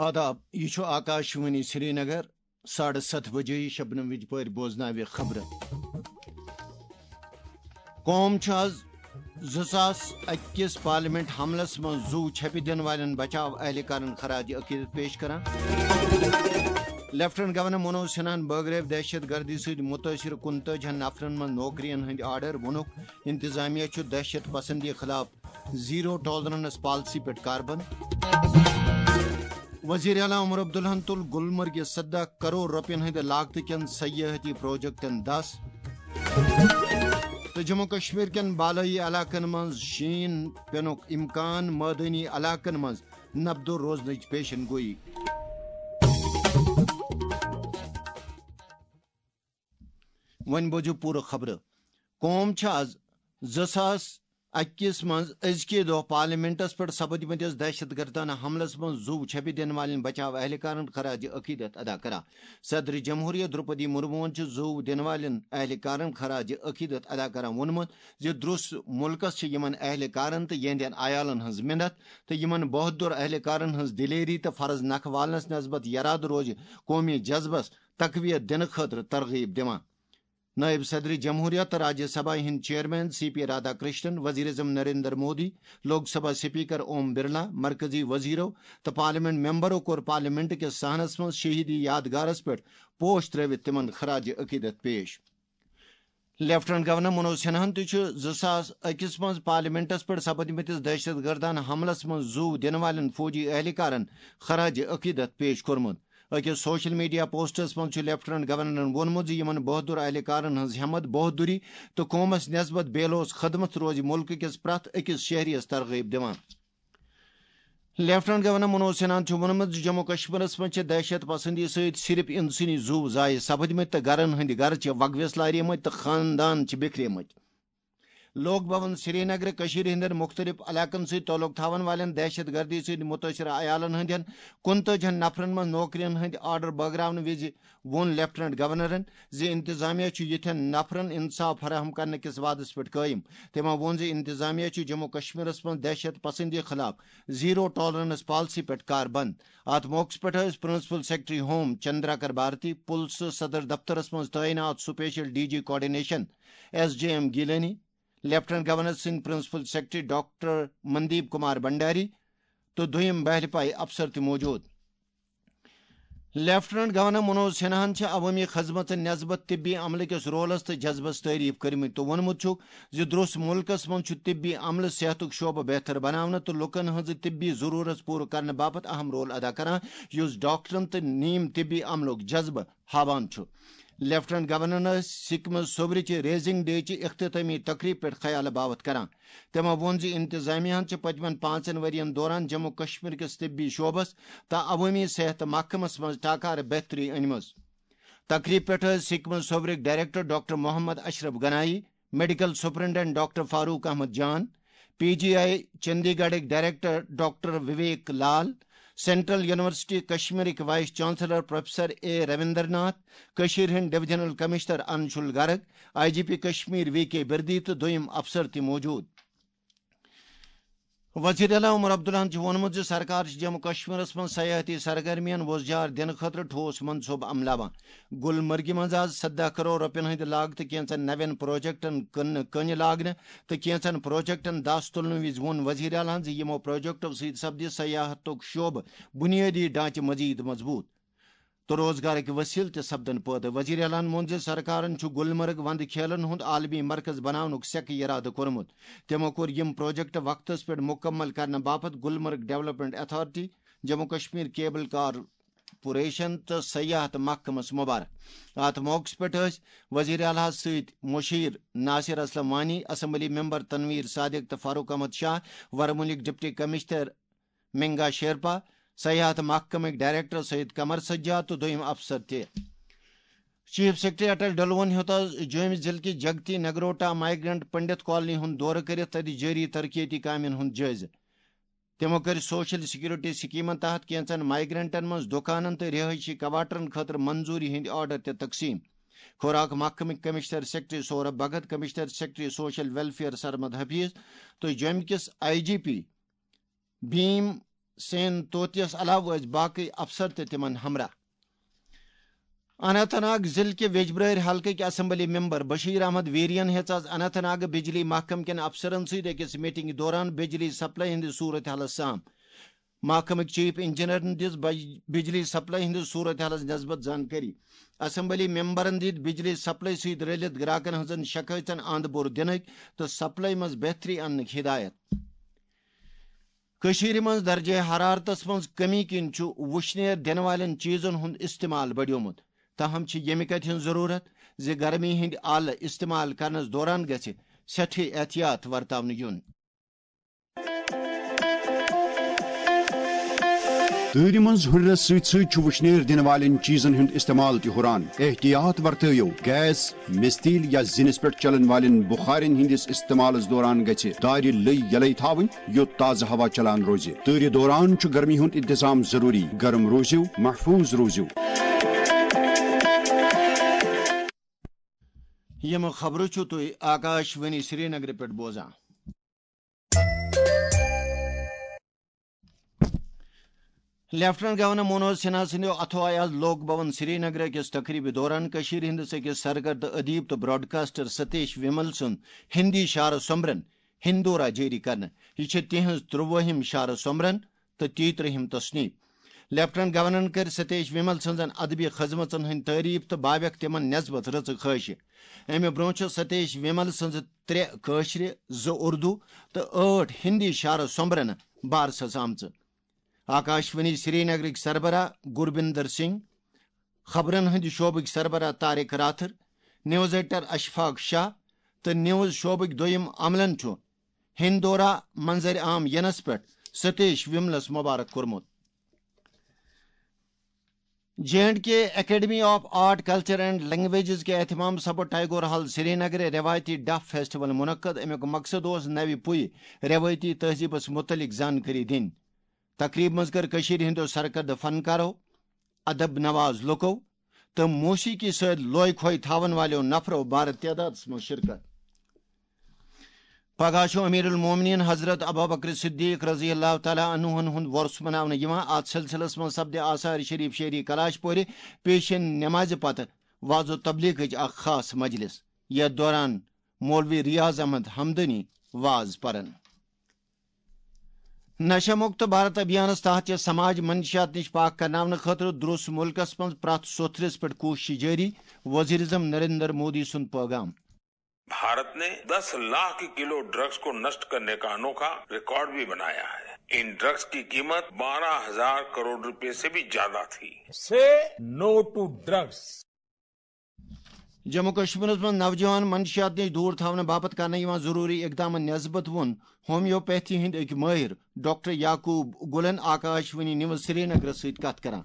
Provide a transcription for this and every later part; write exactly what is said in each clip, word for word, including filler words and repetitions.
آداب، یہِ چھُ آکاشوانی سرینگر۔ ساڑٕ ستھ بجے شبنم وِجہِ پٲرۍ بوزناوِ خبرٕ۔ قوم چھُ آز زٕ ساس اَکہِ کِس پارلیمنٹ حملس منٛز زُو چھپہِ دِنہٕ والٮ۪ن بچاو اہلکارن خراج عقیدت پیش کران۔ لیفٹننٹ گورنر منوج سنہاہن بٲگرٲوۍ دہشت گردی سۭتۍ مُتٲثر کُنتٲجِہن نفرن منٛز نوکرین ہٕنٛدۍ آرڈر، ووٚنُکھ، انتظامیہ چھُ دہشت پسندی خلاف زیرو ٹالرنس پالیسی پٮ۪ٹھ کاربند۔ وزیر اعلیٰ عمر عبداللہن تُل گلمرگہِ سدہ کرور رۄپین ہٕنٛدِ لاگتہٕ کٮ۪ن سیاحتی پروجیکٹن دس۔ تہٕ جموں کشمیر کٮ۪ن بالٲیی علاقن منٛز شیٖن پینُک امکان، مٲدٲنی علاقن منٛز نبدو روزنٕچ پیشن گویی۔ وۄنۍ بوزِو پوٗرٕ خبرٕ۔ قوم چھِ آز زٕ ساس اَکہِ کِس منٛز أزکہِ دۄہ پارلیمنٹس پٮ۪ٹھ سپدمٕتِس دہشت گردانہ حملس منٛز زُو چھپہِ دِنہٕ والٮ۪ن بچاو اہلکارن خراج عقیدت ادا کران۔ صدر جمہوریہ درپدی مرموہن چھُ زُو دِنہٕ والٮ۪ن اہلکارن خراج عقیدت ادا کران ووٚنمُت زِ درُس مُلکس چھِ یِمن اہلکارن تہٕ یِہنٛدٮ۪ن عیالن ہٕنٛز مِنت تہٕ یِمن بہادُر اہلکارن ہٕنٛز دلیری تہٕ فرض نکھٕ والنس نسبت یرادٕ روزِ قومی جذبس تقویت دِنہٕ خٲطرٕ ترغیب دِوان۔ نائب صدر جمہوریہ تہٕ راجیہ سبھا ہٕنٛدۍ chairman C P Radhakrishnan, وزیر اعظم نریندر مودی، لوک سبھا سپیکر اوم برلا، مرکزی وزیرو تہٕ پارلیمنٹ ممبرو کوٚر پارلیمنٹ کِس صحنس منٛز شہیدی یادگارس پٮ۪ٹھ پوش ترٲوِتھ تِمن خراج عقیدت پیش۔ لیفٹننٹ گورنر منوج سنہاہن تہِ چھُ زٕ ساس أکِس منٛز پارلیمنٹس پٮ۪ٹھ سپدمٕتِس دہشت گردانہ حملس منٛز زُو دِنہٕ والٮ۪ن فوجی اہلکارن خراج عقیدت پیش کوٚرمُت۔ أکِس سوشل میڈیا پوسٹس منٛز چھُ لیفٹننٹ گورنرن ووٚنمُت زِ یِمن بہادُر اہلکارن ہٕنٛز ہٮ۪مت، بہادُری تہٕ قومس نسبت بے لوث خدمت روزِ مُلکہٕ کِس پرٛٮ۪تھ أکِس شہریَس ترغیب دِوان۔ لیفٹننٹ گورنر منوج سنہاہن چھُ ووٚنمُت زِ جموں کشمیرس منٛز چھِ دہشت پسندی سۭتۍ صرف انسٲنی زُو ضایع سپدمٕتۍ تہٕ گرن ہٕنٛدۍ گرٕ چھِ وگویس لاریمٕتۍ تہٕ خاندان چھِ بکھریمٕتۍ۔ لوک بھون سرینگرٕ کٔشیٖرِ ہٕنٛدٮ۪ن مُختٔلِف علاقن سۭتۍ تعلق تھاوَن والٮ۪ن دہشت گردی سۭتۍ مُتٲثرٕ عیالَن ہٕنٛدٮ۪ن کُنتٲجِہَن نفرَن منٛز نوکرِین ہٕنٛدۍ آرڈر بٲگراونہٕ وِزِ ووٚن لیفٹننٹ گورنرَن زِ انتظامیہ چھُ یِتھٮ۪ن نفرَن انصاف فراہم کرنہٕ کِس وعدَس پٮ۪ٹھ قٲیِم۔ تٔمۍ ووٚن زِ انتظامیہ چھُ جموں کشمیرَس منٛز دہشت پسندی خلاف زیرو ٹالرنس پالیسی پٮ۪ٹھ کاربند۔ اَتھ موقعَس پٮ۪ٹھ ٲسۍ principal secretary home Chandrakar Bharati, پُلسہٕ صدر دفترَس منٛز تعینات special D G coordination S J M Gilani, lieutenant governor سٕنٛدۍ principal secretary doctor Mandeep Kumar Bhandari تہٕ دوٚیِم بہلہِ پایہِ افسر تہِ موجود۔ لیفٹننٹ گورنر منوج سنہاہن چھِ عوٲمی خدمتن نسبت طبی عملہٕ کِس رولس تہٕ جذبس تعریف کٔرمٕتۍ تہٕ ووٚنمُت چھُکھ زِ درٛوس مُلکس منٛز چھُ طبی عملہٕ صحتُک شعبہٕ بہتر بناونہٕ تہٕ لوٗکن ہٕنٛزٕ طبی ضروٗرت پوٗرٕ کرنہٕ باپتھ اہم رول ادا کران، یُس ڈاکٹرن تہٕ نیم طبی عملُک جذبہٕ ہاوان چھُ۔ لیفٹننٹ گورنرن ٲسۍ سکمز صوبرِ چہِ ریزنگ ڈے چہِ اختتامی تقریب پٮ۪ٹھ خیال باوت کران۔ تٔمۍ ووٚن زِ انتظامیہ ہن چھِ پٔتمٮ۪ن پانٛژن ؤرین دوران جموں کشمیر کِس طبی شعبس تہٕ عوٲمی صحت محکمس منٛز ٹاکارٕ بہتری أنمٕژ۔ تقریب پٮ۪ٹھ ٲسۍ سکمز صوبرٕکۍ director doctor Mohammad Ashraf Ganai, medical superintendent doctor Farooq Ahmad Jan, P G I چندی گڑھٕکۍ director doctor Vivek Lal, central university کشمیرٕکۍ vice chancellor professor A Ravindra Nath, کٔشیٖرِ ہٕنٛدۍ divisional commissioner Anshul Garg, I G P Kashmir V K Birdi تہٕ دوٚیِم افسر تہِ موجود۔ وزیر اعلیٰ عمر عبداللہن چھُ ووٚنمُت زِ سرکار چھِ جموں کشمیرس منٛز سیاحتی سرگرمین وۄزجار دِنہٕ خٲطرٕ ٹھوس منصوبہٕ عملاوان۔ گلمرگہِ منٛز آز سدہ کرور رۄپین ہٕنٛدِ لاگتہٕ کینٛژن نوٮ۪ن پروجیکٹن کٕننہٕ کٔنہِ لاگنہٕ تہٕ کینٛژن پروجیکٹن دس تُلنہٕ وِزِ ووٚن وزیر اعلیٰ ہن زِ یِمو پروجیکٹو سۭتۍ سپدِ سیاحتُک شعبہٕ بنیٲدی ڈھانچہٕ مزید مضبوط تہٕ روزگارٕکۍ وسیلہٕ تہِ سپدن پٲدٕ۔ وزیر اعلیٰ ہن ووٚن زِ سرکارن چھُ گلمرگ وندٕ کھیلن ہُنٛد عالمی مرکز بناونُک سٮ۪کہٕ یرادٕ کوٚرمُت۔ تِمو کوٚر یِم پروجیکٹ وقتس پٮ۪ٹھ مُکمل کرنہٕ باپتھ Gulmarg development authority, Jammu Kashmir cable car corporation تہٕ سیاحت محکمس مبارک۔ اتھ موقعس پٮ۪ٹھ ٲسۍ وزیر اعلیٰ سۭتۍ مشیر ناصر اسلم وانی، اسمبلی ممبر تنویر صادق تہٕ فاروق احمد شاہ، ورمُلٕکۍ ڈپٹی کمشنر منگا شیرپا، سیاحت محکمٕکۍ ڈائریکٹر سید قمر سجاد تہٕ دوٚیِم افسر تہِ۔ چیف سیکرٹری اٹل ڈلوَن ہیوٚت آز جوٚمہِ ضلعہٕ کہِ جگتی نگروٹا مائیگرنٹ پنڈت کالونی ہُنٛد دورٕ کٔرِتھ تَتہِ جٲری ترقیتی کامٮ۪ن ہُنٛد جٲیزٕ۔ تِمو کٔرۍ سوشل سیکورٹی سکیمن تحت کینٛژن مائیگرنٹن منٛز دُکانن تہٕ رہٲیشی کواٹرن خٲطرٕ منظوری ہٕنٛدۍ آرڈر تہِ تقسیٖم۔ خوراک محکمٕکۍ commissioner secretary Saurabh Bhagat, commissioner secretary social welfare Sarmad Hafeez تہٕ جوٚمہِ کِس I G P Bhim Sen توتیس علاوٕ ٲسۍ باقٕے افسر تہِ تِمن ہمراہ۔ اننت ناگ ضلعہٕ کہِ ویجبرٲرۍ حلقٕکۍ اسمبلی ممبر بشیر احمد ویرین ہیٚژ آز اننت ناگ بجلی محکمہٕ کٮ۪ن افسرن سۭتۍ أکِس میٹنگہِ دوران بجلی سپلائی ہٕنٛدِ صورت حالس سام۔ محکمٕکۍ چیف انجینئرن دِژ بج-، بجلی سپلائی ہٕنٛدِس صورت حالس نسبت زانکٲری۔ اسمبلی ممبرن دِتۍ بجلی سپلائی سۭتۍ رلِتھ گراکن ہٕنٛزن شکایژن اند بور دِنٕکۍ تہٕ سپلائی منٛز بہتری اننٕکۍ ہدایت۔ کٔشیٖرِ منٛز درجہ حرارتس منٛز کمی کِنۍ چھُ وُشنیر دِنہٕ والٮ۪ن چیٖزن ہُنٛد استعمال بڑیومُت۔ تاہم چھِ ییٚمہِ کتھِ ہٕنٛز ضروٗرت زِ گرمی ہٕنٛدۍ آلہٕ استعمال کرنس دوران گژھِ سٮ۪ٹھٕے احتیاط ورتاونہٕ یُن۔ تۭرِ منٛز ہُرٮ۪رس سۭتۍ سۭتۍ چھُ وُشنیر دِنہٕ والٮ۪ن چیٖزن ہُنٛد استعمال تہِ ہُران۔ احتیاط ورتٲیِو۔ گیس، مستیل یا زِنِس پٮ۪ٹھ چلن والٮ۪ن بُخارٮ۪ن ہٕنٛدِس استعمالس دوران گژھِ دارِ لٔۍ یلے تھاوٕنۍ، یوٚت تازٕ ہوا چلان روزِ۔ تۭرِ دوران چھُ گرمی ہُنٛد انتظام ضروٗری۔ گرم روٗزِو، محفوٗظ روٗزِو۔ یِم خبرٕ چھِو تُہۍ آکاش وانی سرینگرٕ پٮ۪ٹھ بوزان۔ لیفٹیننٹ گورنر منوج سنہا سٕنٛدیو اَتھو آیہِ آز لوک بھون سرینگر أکِس تقریٖبہِ دوران کٔشیٖرِ ہٕنٛدِس أکِس سرگردٕ ادیب تہٕ براڈکاسٹر ستیش ومل سُنٛد ہندی شعر سومبرن ہندورا جٲری کرنہٕ۔ یہِ چھِ تِہنٛز ترٛۆوُہِم شعر سومبرن تہٕ تیٚیہِ ترٛہِم تصنیف۔ لیفٹیننٹ گورنرن کٔر ستیش ومل سٕنٛزن ادبی خدمژن ہٕنٛدۍ تعریف تہٕ باویکھ تِمن نسبت رٕژٕ خٲہشہِ۔ امہِ برونٛہہ چھِ ستیش ومل سٕنٛزٕ ترٛےٚ کٲشرِ، زٕ اردو تہٕ ٲٹھ ہندی شعر سومبرنہٕ بارسس آمژٕ۔ آکاشوانی سرینگرٕکۍ سربراہ گربندر سنگھ، خبرن ہٕنٛدِ شعبٕکۍ سربراہ طارق راتھر، نیوز ایڈیٹر اشفاق شاہ تہٕ نیوز شعبٕکۍ دوٚیِم عملن چھُ ہندورا منظر عام ینس پٮ۪ٹھ ستیش وملس مبارک کوٚرمُت۔ J and K academy of art, culture and languages کے اہتمام سپُد ٹیگور ہال سرینگر روایتی ڈف فیسٹیول منعقد۔ امیُک مقصد اوس نوِ پُیہِ روایتی تہذیبس متعلق زانکٲری دِنۍ۔ تقریب منٛز کٔر کٔشیٖرِ ہٕنٛدیو سرکردٕ فنکارو، ادب نواز لوکو تہٕ موسیقی سۭتۍ لوے کھوے تھاون والٮ۪و نفرو بارٕ تعدادس منٛز شرکت۔ پگاہ چھُ امیر المومنین حضرت ابوبکر صدیق رضی اللہ تعالیٰ عنہن ہُنٛد وۄرُس مناونہٕ یِوان۔ اتھ سلسلس منٛز سپدِ آثار شریف شہری کلاش پورِ پیشن نمازِ پتہٕ وعظ و تبلیغٕچ اکھ خاص مجلس، یتھ دوران مولوی ریاض احمد ہمدانی وعظ پرن۔ نشہ مکت بھارت ابھیانس تحت چھِ سماج منشیات نِش پاک کرناونہٕ خٲطرٕ درٛوس مُلکس منٛز پرٛٮ۪تھ سوٚتھرِس پٮ۪ٹھ کوٗشش جٲری، وزیر اعظم نریندر مودی سُنٛد پٲغام۔ भारत ने दस लाख किलो ड्रग्स को नष्ट करने का अनोखा रिकॉर्ड भी बनाया है। इन ड्रग्स की कीमत बारह हजार करोड़ रुपए से भी ज्यादा थी। Say no to drugs. Jammu کشمیرس منٛز نوجوان منشیات نِش دوٗر تھاونہٕ باپتھ کرنہٕ یِوان ضروٗری اقدامن نسبت ووٚن ہومیوپیتھی ہٕنٛدۍ أکۍ مٲہِر ڈاکٹر یعقوب گُلن آکاشوانی نیوز سرینگرس سۭتۍ کتھ کران۔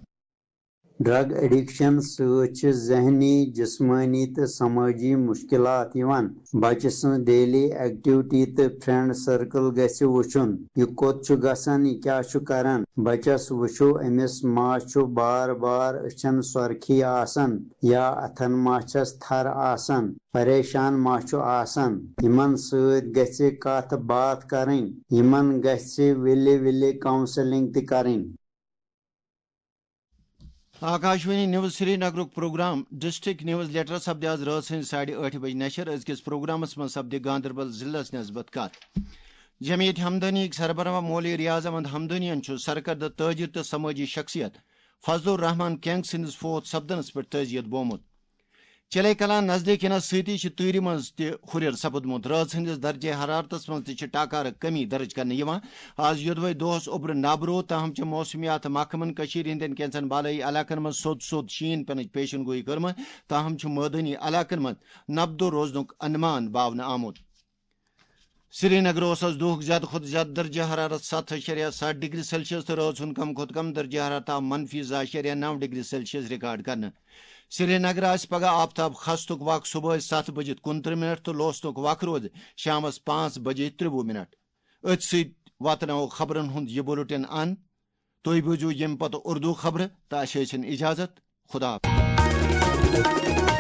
ڈرگ ایڈکشن سۭتۍ چھِ ذہنی، جسمٲنی تہٕ سمٲجی مشکلات یِوان۔ بچہٕ سٕنٛز ڈیلی ایکٹیوٹی تہٕ فرینڈ سرکل گژھِ وُچھُن۔ یہِ کوٚت چھُ گژھان، یہِ کیٛاہ چھُ کران۔ بچس وُچھِو، أمِس ما چھُ بار بار أچھن سۄرخی آسان یا اتھن ما چھس تھر آسان، پریشان ما چھُ آسان۔ یِمن سۭتۍ گژھِ کتھ باتھ کرٕنۍ، یِمن گژھِ وِلہِ وِلہِ کاؤنسلنگ تہِ کرٕنۍ۔ آکاشوانی نیوز سرینگرُک پروگرام ڈسٹرکٹ نیوز لیٹر سپدِ آز رٲژ ہٕنٛزِ ساڑِ ٲٹھِ بجہِ نشر۔ أزکِس پروگرامس منٛز سپدِ گاندربل ضلعس نسبت کتھ۔ جمعیت ہمدانی سربراہ مولوی ریاض احمد ہمدانین چھُ سرکردٕ تاجر تہٕ سمٲجی شخصیت فضل الرحمان کینگ سٕنٛدِس فوت سپدنس پٮ۪ٹھ تعزیت بومُت۔ چلے کلان نزدیٖک یِنس سۭتی چھِ تۭرِ منٛز تہِ ہُرٮ۪ر سپُدمُت۔ رٲژ ہٕنٛدِس درجہ حرارتس منٛز تہِ چھِ ٹاکارٕ کمی درج کرنہٕ یِوان۔ آز یوٚدوے دۄہس اوٚبرٕ نابہٕ روٗد، تاہم چھِ موسمیات محکمن کٔشیٖرِ ہٕنٛدٮ۪ن کینٛژن بالٲیی علاقن منٛز سوٚت سوٚت شیٖن پینٕچ پیشن گویی کٔرمٕژ، تاہم چھُ مٲدٲنی علاقن منٛز نبدو روزنُک انمان باونہٕ آمُت۔ سرینگر اوس آز دُہُک زیادٕ کھۄتہٕ زیادٕ درجہ حرارت ستھ اَشاریہ ستھ ڈگری سیلسیس تہٕ رٲژ ہُنٛد کم کھۄتہٕ کم درجہ حرارت آو منفی زٕ اَشاریہ نَو ڈگری سیلسیس ریکارڈ کرنہٕ۔ سرینگر آسہِ پگاہ آفتاب کھستُک وق صبحٲے ستھ بجہِ کُنترٕہ منٹ تہٕ لوسنُک وق روزِ شامس پانٛژھ بجہِ ترٛوُہ منٹ۔ أتھۍ سۭتۍ واتناوو خبرن ہُنٛد یہِ بُلٹن اند۔ تُہۍ بوٗزِو ییٚمہِ پتہٕ اردو خبرٕ تہٕ اَسہِ ٲسِن اجازت۔ خدا حافظ۔